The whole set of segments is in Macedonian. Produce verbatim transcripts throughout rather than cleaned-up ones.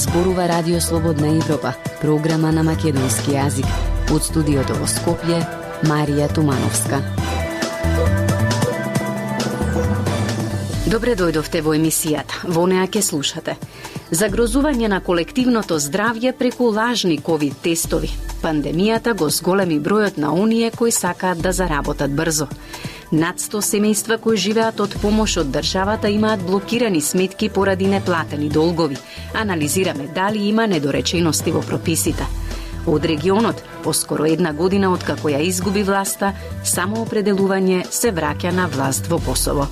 Зборува Радио Слободна Европа, програма на македонски јазик. Од студиото во Скопје, Марија Тумановска. Добре дојдовте во емисијата. Во неа ќе слушате загрозување на колективното здравје преку лажни ковид тестови. Пандемијата го зголеми бројот на оние кои сакаат да заработат брзо. Над сто семејства кои живеат од помош од државата имаат блокирани сметки поради неплатени долгови. Анализираме дали има недоречености во прописите. Од регионот, поскоро една година откако ја изгуби власта, самоопределување се враќа на власт во Косово.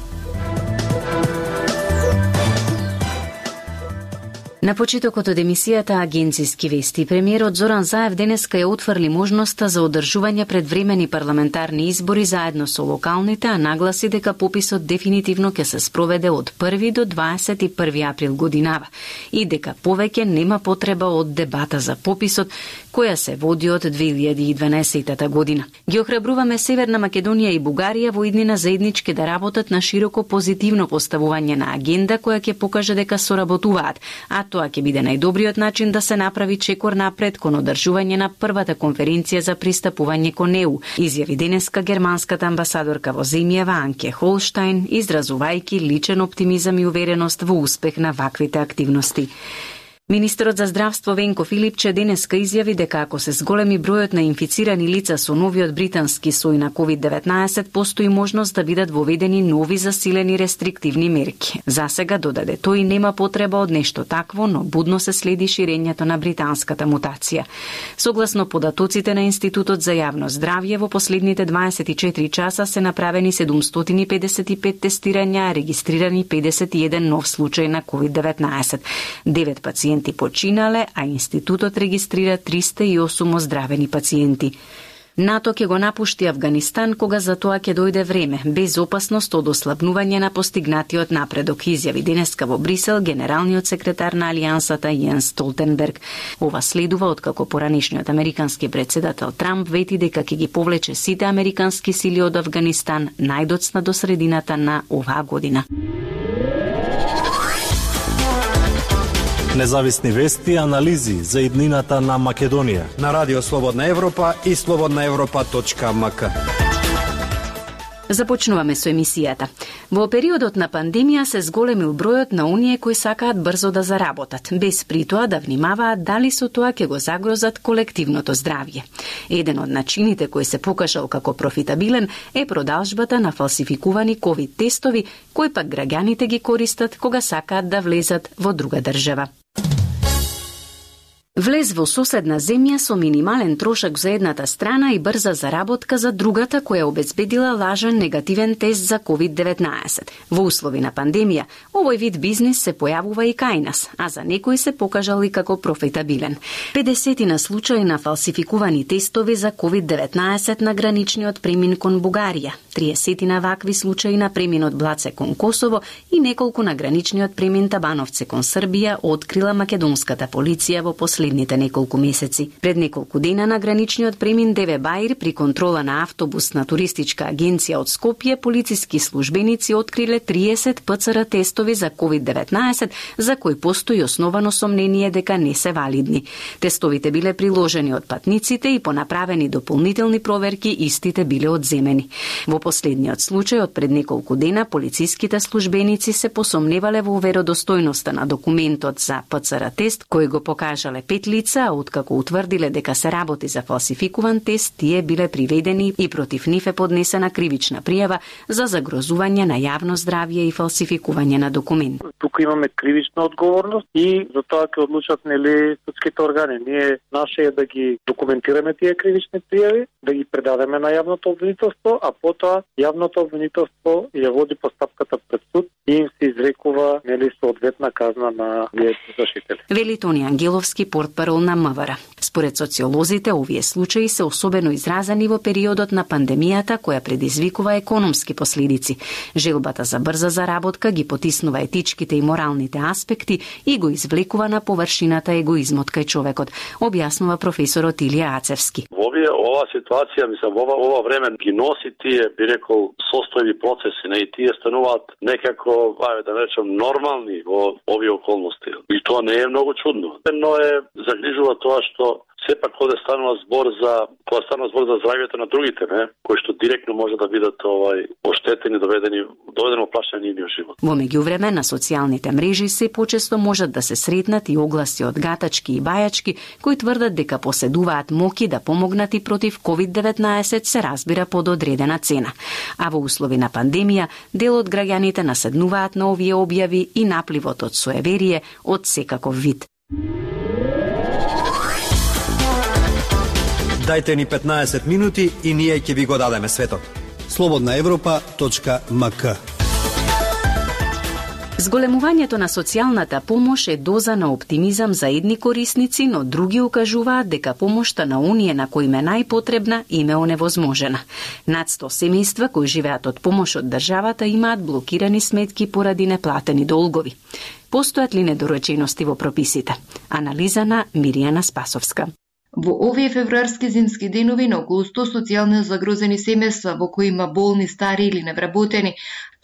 На почетокот од емисијата Агенциски вести, премиерот Зоран Заев денеска ја отфрли можноста за одржување предвремени парламентарни избори заедно со локалните, а нагласи дека пописот дефинитивно ќе се спроведе од први до дваесет и први април годинава и дека повеќе нема потреба од дебата за пописот која се води од две илјади и дванаесетта година. Ги охрабруваме Северна Македонија и Бугарија во иднина заеднички да работат на широко позитивно поставување на агенда која ќе покаже дека соработуваат, а тоа ќе биде најдобриот начин да се направи чекор напред кон одржување на првата конференција за пристапување кон Е У, изјави денеска германската амбасадорка во земјава Анке Холштајн, изразувајќи личен оптимизам и увереност во успех на ваквите активности. Министерот за здравство Венко Филипче денеска изјави дека ако се зголеми бројот на инфицирани лица со новиот британски сој на ковид деветнаесет, постои можност да бидат воведени нови засилени рестриктивни мерки. Засега, додаде тој, нема потреба од нешто такво, но будно се следи ширењето на британската мутација. Согласно податоците на Институтот за јавно здравје, во последните дваесет и четири часа се направени седумстотини и педесет и пет тестирања, а регистрирани педесет и еден нов случај на ковид деветнаесет. Девет пациенти починале, а институтот регистрира триста и осум оздравени пациенти. НАТО ќе го напушти Авганистан кога за тоа ќе дојде време, без опасност од ослабнување на постигнатиот напредок, изјави денеска во Брисел генералниот секретар на Алијансата Јенс Столтенберг. Ова следува откако поранешниот американски претседател Трамп вети дека ќе ги повлече сите американски сили од Авганистан најдоцна до средината на оваа година. Независни вести и анализи за иднината на Македонија на Радио Слободна Европа и слободна европа точка ем ка. Започнуваме со емисијата. Во периодот на пандемија се зголемил бројот на оние кои сакаат брзо да заработат, без при тоа да внимаваат дали со тоа ќе го загрозат колективното здравје. Еден од начините кој се покажал како профитабилен е продажбата на фалсификувани ковид тестови, кои пак граѓаните ги користат кога сакаат да влезат во друга држава. Влез во соседна земја со минимален трошок за едната страна и брза заработка за другата која обезбедила лажен негативен тест за ковид деветнаесет. Во услови на пандемија, овој вид бизнис се појавува и кај нас, а за некои се покажал и како профитабилен. педесетина случаи на фалсификувани тестови за ковид деветнаесет на граничниот премин кон Бугарија, триесетина вакви случаи на преминот Блаце кон Косово и неколку на граничниот премин Табановце кон Србија открила македонската полиција во последните неколку месеци. Пред неколку дена на граничниот премин Деве Баир при контрола на автобус на туристичка агенција од Скопје, полициски службеници откриле триесет П Ц Р тестови за ковид деветнаесет, за кои постои основано сомнение дека не се валидни. Тестовите биле приложени од патниците и по направени дополнителни проверки истите биле одземени. Во последниот случај од пред неколку дена полициските службеници се посомневале во веродостојноста на документот за П Ц Р тест кој го покажале пет лица, а откако утврдиле дека се работи за фалсификуван тест, тие биле приведени и против нив е поднесена кривична пријава за загрозување на јавно здравје и фалсификување на документ. Тука имаме кривична одговорност и за тоа ќе одлучат нели судските органи. Ние наше е да ги документираме тие кривични пријави, да ги предадеме на јавното обвинителство, а потоа јавното обвинителство ја води постапката пред суд и им се изрекува нели соодветна казна на вие зашители. Вели Тони Ангеловски, портпарол на М В Р. Според социолозите, овие случаи се особено изразени во периодот на пандемијата која предизвикува економски последици. Желбата за брза заработка ги потиснува етичките и моралните аспекти и го извлекува на површината егоизмот кај човекот, објаснува професорот Илија Ацевски. Во овие ова ситуација, мислам, ова ова време ги носи тие, би рекол, состојби процеси, не и тие стануваат некако, ајде да речем, нормални во овие околности. И тоа не е многу чудно. Но е загрижува тоа што сепак кога станува збор за кога станува збор за здравјето на другите, не, кои што директно може да бидат овај оштетени, доведени доведено прашање нивниот живот. Во меѓувреме на социјалните мрежи се почесто можат да се сретнат и огласи од гатачки и бајачки кои тврдат дека поседуваат моки да помогнат и против ковид деветнаесет, се разбира под одредена цена. А во услови на пандемија, дел од граѓаните наседнуваат на овие објави и напливот од суеверие од секаков вид. Дајте ни петнаесет минути и ние ќе ви го дадеме светот. слободна европа точка ем ка. Зголемувањето на социјалната помош е доза на оптимизам за едни корисници, но други укажуваат дека помошта на оние на кои е најпотребна им е оневозможена. Над сто семејства кои живеат од помош од државата имаат блокирани сметки поради неплатени долгови. Постојат ли недоречености во прописите? Анализа на Миријана Спасовска. Во овие февруарски зимски денови на околу сто социјално загрозени семејства во кои има болни, стари или невработени,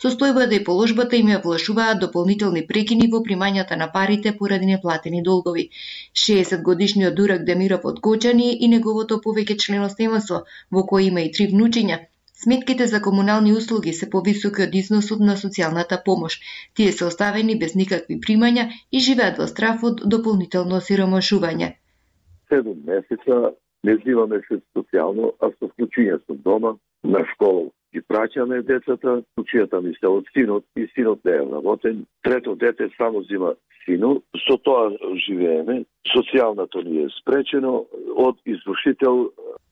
состојбата и положбата им ја влашуваат дополнителни прекини во примањата на парите поради неплатени долгови. шеесет годишниот Дурак Демиров од Гочани и неговото повеќе члено семејство, во кој има и три внучиња, сметките за комунални услуги се повисоки од износот на социјалната помош. Тие се оставени без никакви примања и живеат во страф од дополнително осиромашување. Седум месеца не взимаме се социјално, а со вклучување со дома, на школа ги праќаме децата, вклучијата ми се од синот и синот не е работен. Трето дете само зима синот, со тоа живееме. Социјалното ни е спречено, од извршител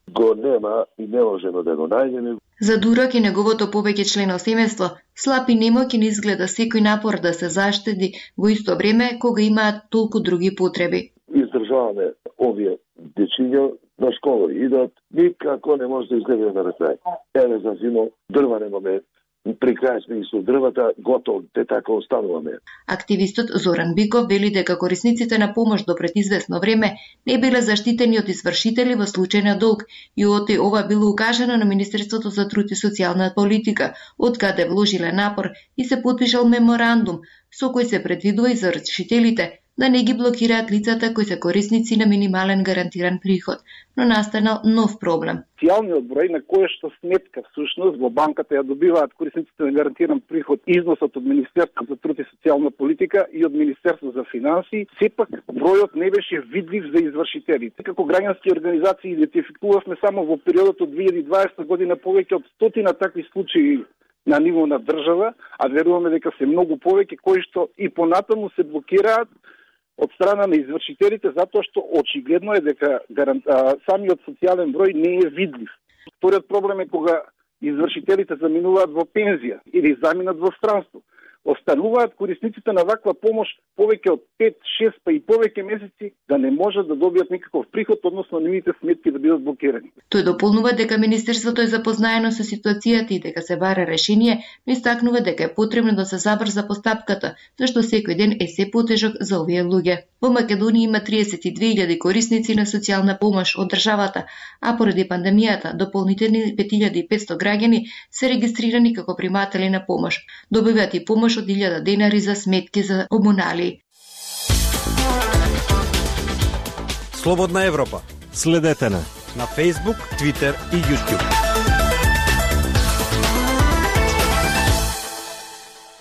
го нема и не можеме да го најдеме. За Дурак и неговото повеќе члено семејство, слаб и немоќен изгледа секој напор да се заштеди во исто време кога имаат толку други потреби. Издржаваме овие дечиња на школа идат, никако не може да изгледа на ракрај. Еве за зимо дрва немаме, при крај сме и со дрвата, готово, те така остануваме. Активистот Зоран Биков вели дека корисниците на помош до пред известно време не биле заштитени од извршители во случај на долг и оти ова било укажано на Министерството за труд и социјална политика, од каде вложиле напор и се потпишал меморандум со кој се предвидува извршителите да не ги блокираат лицата кои се корисници на минимален гарантиран приход, но настанал нов проблем. Социјалниот број на кој што сметка всушност во банката ја добиваат корисниците на гарантиран приход износот од Министерството за труд и социјална политика и од Министерството за финансии, сепак бројот не беше видлив за извршителите. Како граѓански организации идентификувавме само во периодот од две илјади и дваесета година повеќе од стотина такви случаи на ниво на држава, а веруваме дека се многу повеќе кои што и понатаму се блокираат од страна на извршителите, затоа што очигледно е дека гарант... самиот социјален број не е видлив. Вториот проблем е кога извршителите заминуваат во пензија или заминат во странство. Остануваат корисниците на ваква помош повеќе од пет, шест па и повеќе месеци да не можат да добијат никаков приход, односно нивните сметки да бидат блокирани. Тој дополнува дека Министерството е запознаено со ситуацијата и дека се бара решение, но истакнува дека е потребно да се забрза постапката, зашто секој ден е се потежок за овие луѓе. Во Македонија има триесет и две илјади корисници на социјална помош од државата, а поради пандемијата дополнителни пет илјади и петсто граѓани се регистрирани како приматели на помош. Добиваат и помош од илјада денари за сметки за комунали. Слободна Европа. Следете на на Facebook, Twitter и YouTube.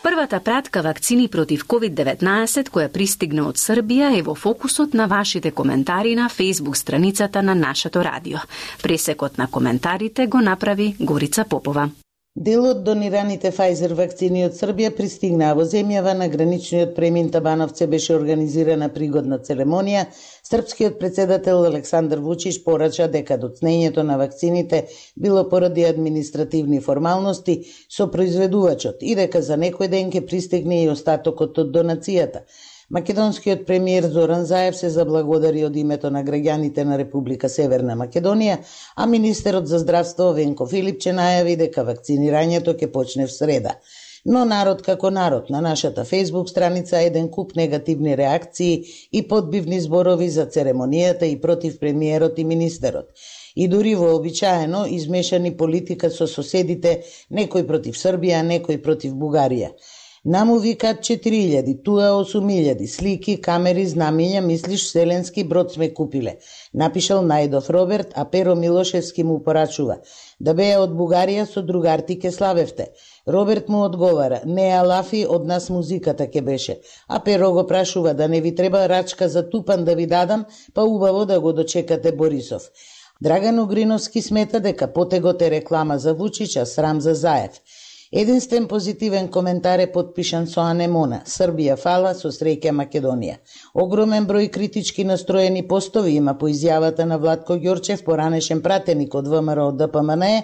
Првата пратка вакцини против ковид деветнаесет која пристигна од Србија е во фокусот на вашите коментари на Facebook страницата на нашето радио. Пресекот на коментарите го направи Горица Попова. Дел од донираните Pfizer вакцини од Србија пристигнаа во земјава. На граничниот премин Табановце беше организирана пригодна церемонија. Српскиот председател Александар Вучич порача дека доцнењето на вакцините било поради административни формалности со произведувачот и дека за некој ден ќе пристигне и остатокот од донацијата. Македонскиот премиер Зоран Заев се заблагодари од името на граѓаните на Република Северна Македонија, а министерот за здравство Венко Филипче најави дека вакцинирањето ќе почне в среда. Но народ како народ, на нашата Facebook страница еден куп негативни реакции и подбивни зборови за церемонијата и против премиерот и министерот. И дури вообичаено измешани политика со соседите, некој против Србија, некој против Бугарија. Наму викат четири илјади, туа осум илјади, слики, камери, знамиња, мислиш вселенски брод сме купиле. Напишал Најдов Роберт, а Перо Милошевски му порачува. Да беа од Бугарија со другарти ке славевте. Роберт му одговара, не алафи, од нас музиката ке беше. А Перо го прашува, да не ви треба рачка за тупан да ви дадам, па убаво да го дочекате Борисов. Драган Угриновски смета дека потегот е реклама за Вучич, а срам за Заев. Единствен позитивен коментар е подпишан со анемона. Србија фала, со среќа Македонија. Огромен број критички настроени постови има по изјавата на Владко Ѓорчев, поранешен пратеник од ВМРО Д П М Н Е,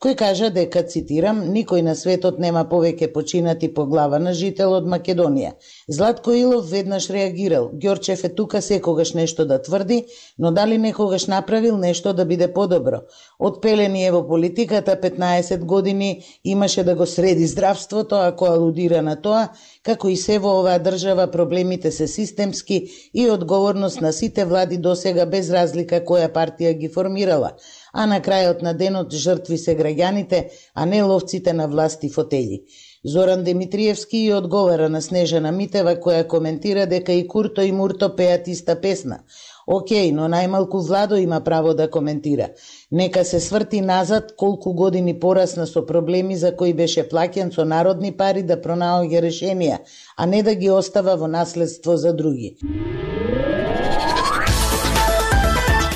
кој кажа дека, цитирам, никој на светот нема повеќе починати по глава на жител од Македонија. Златко Илов веднаш реагирал. Ѓорчев е тука секогаш нешто да тврди, но дали некогаш направил нешто да биде подобро? Од пелени е во политиката, петнаесет години имаше да го среди здравството, ако алудира на тоа, како и се во оваа држава проблемите се системски и одговорност на сите влади досега без разлика која партија ги формирала, а на крајот на денот жртви се граѓаните, а не ловците на власт и фотели. Зоран Димитриевски и одговара на Снежана Митева, која коментира дека и Курто и Мурто пеат иста песна. Океј, но најмалку Владо има право да коментира. Нека се сврти назад колку години порасна со проблеми за кои беше плаќан со народни пари да пронаоѓа решенија, а не да ги остава во наследство за други.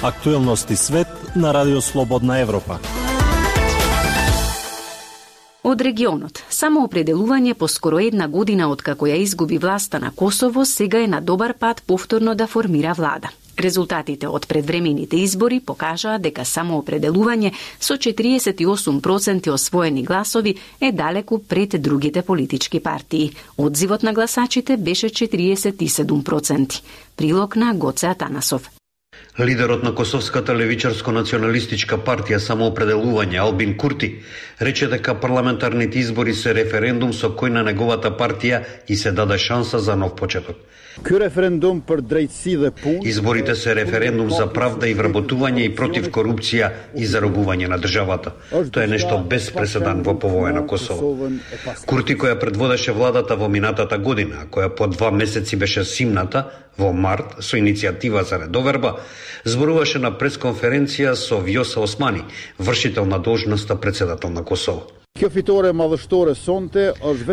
Актуелности свет на Радио Слободна Европа. Од регионот, самоопределување по скоро една година откако ја изгуби власта на Косово, сега е на добар пат повторно да формира влада. Резултатите од предвремените избори покажаа дека самоопределување со четириесет и осум проценти освоени гласови е далеку пред другите политички партии. Одзивот на гласачите беше четириесет и седум проценти. Прилог на Гоце Атанасов. Лидерот на Косовската левичарско-националистичка партија Самоопределување Албин Курти рече дека парламентарните избори се референдум со кој на неговата партија и се даде шанса за нов почеток. Изборите се референдум за правда и вработување и против корупција и заробување на државата. Тоа е нешто без преседан во повоја на Косово. Курти, која предводеше владата во минатата година, која по два месеци беше симната, во март, со иницијатива за редоверба, зборуваше на пресконференција со Вјоса Османи, вршител на должноста председател на Косово.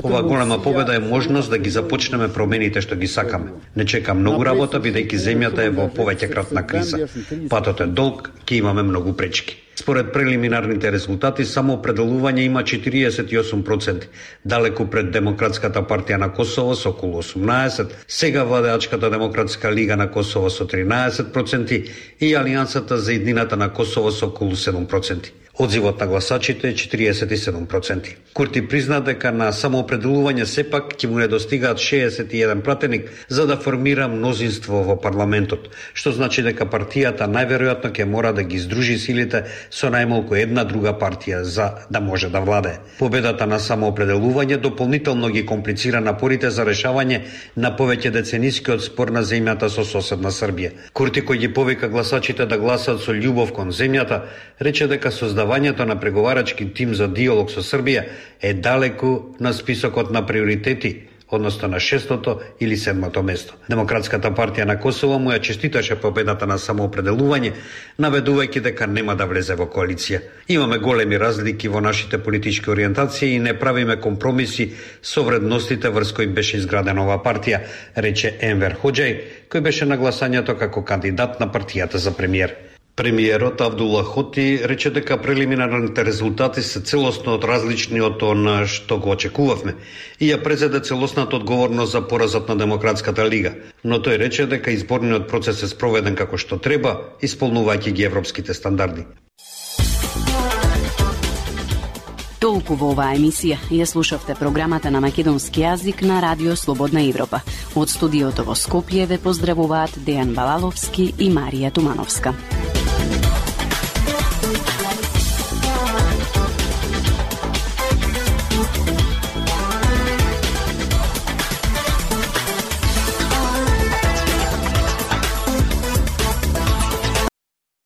Ова голема победа е можност да ги започнеме промените што ги сакаме. Не чека многу работа, бидејќи земјата е во повеќекратна криза. Патот е долг, ќе имаме многу пречки. Според прелиминарните резултати, самоопределување има четириесет и осум проценти, далеку пред Демократската партија на Косово со околу осумнаесет, сега Владеачката демократска лига на Косово со тринаесет проценти и Алијансата за иднината на Косово со околу седум проценти. Одзивот на гласачите е четириесет и седум проценти. Курти призна дека на самоопределување сепак ќе му недостигаат шеесет и еден пратеник за да формира мнозинство во парламентот, што значи дека партијата најверојатно ќе мора да ги здружи силите со најмалку една друга партија за да може да владее. Победата на самоопределување дополнително ги комплицира напорите за решавање на повеќе деценискиот спор на земјата со соседна Србија. Курти, кој ги повика гласачите да гласат со љубов кон земјата, рече дека создавањето на преговарачки тим за диалог со Србија е далеку на списокот на приоритети, односно на шестото или седмото место. Демократската партија на Косово му ја честиташе победата на самоопределување, наведувајќи дека нема да влезе во коалиција. Имаме големи разлики во нашите политички ориентации и не правиме компромиси со вредностите врз кои беше изградена оваа партија, рече Енвер Хоџај, кој беше на гласањето како кандидат на партијата за премиер. Премиерот Авдула Хоти рече дека прелиминарните резултати се целосно од различни од она што го очекувавме и ја презеде целосната одговорност за поразот на Демократската лига, но тој рече дека изборниот процес е спроведен како што треба, исполнувајќи ги европските стандарди. Толку во оваа емисија. Ја слушавте програмата на македонски јазик на Радио Слободна Европа. Од студиото во Скопје ве поздравуваат Дејан Балаловски и Марија Тумановска.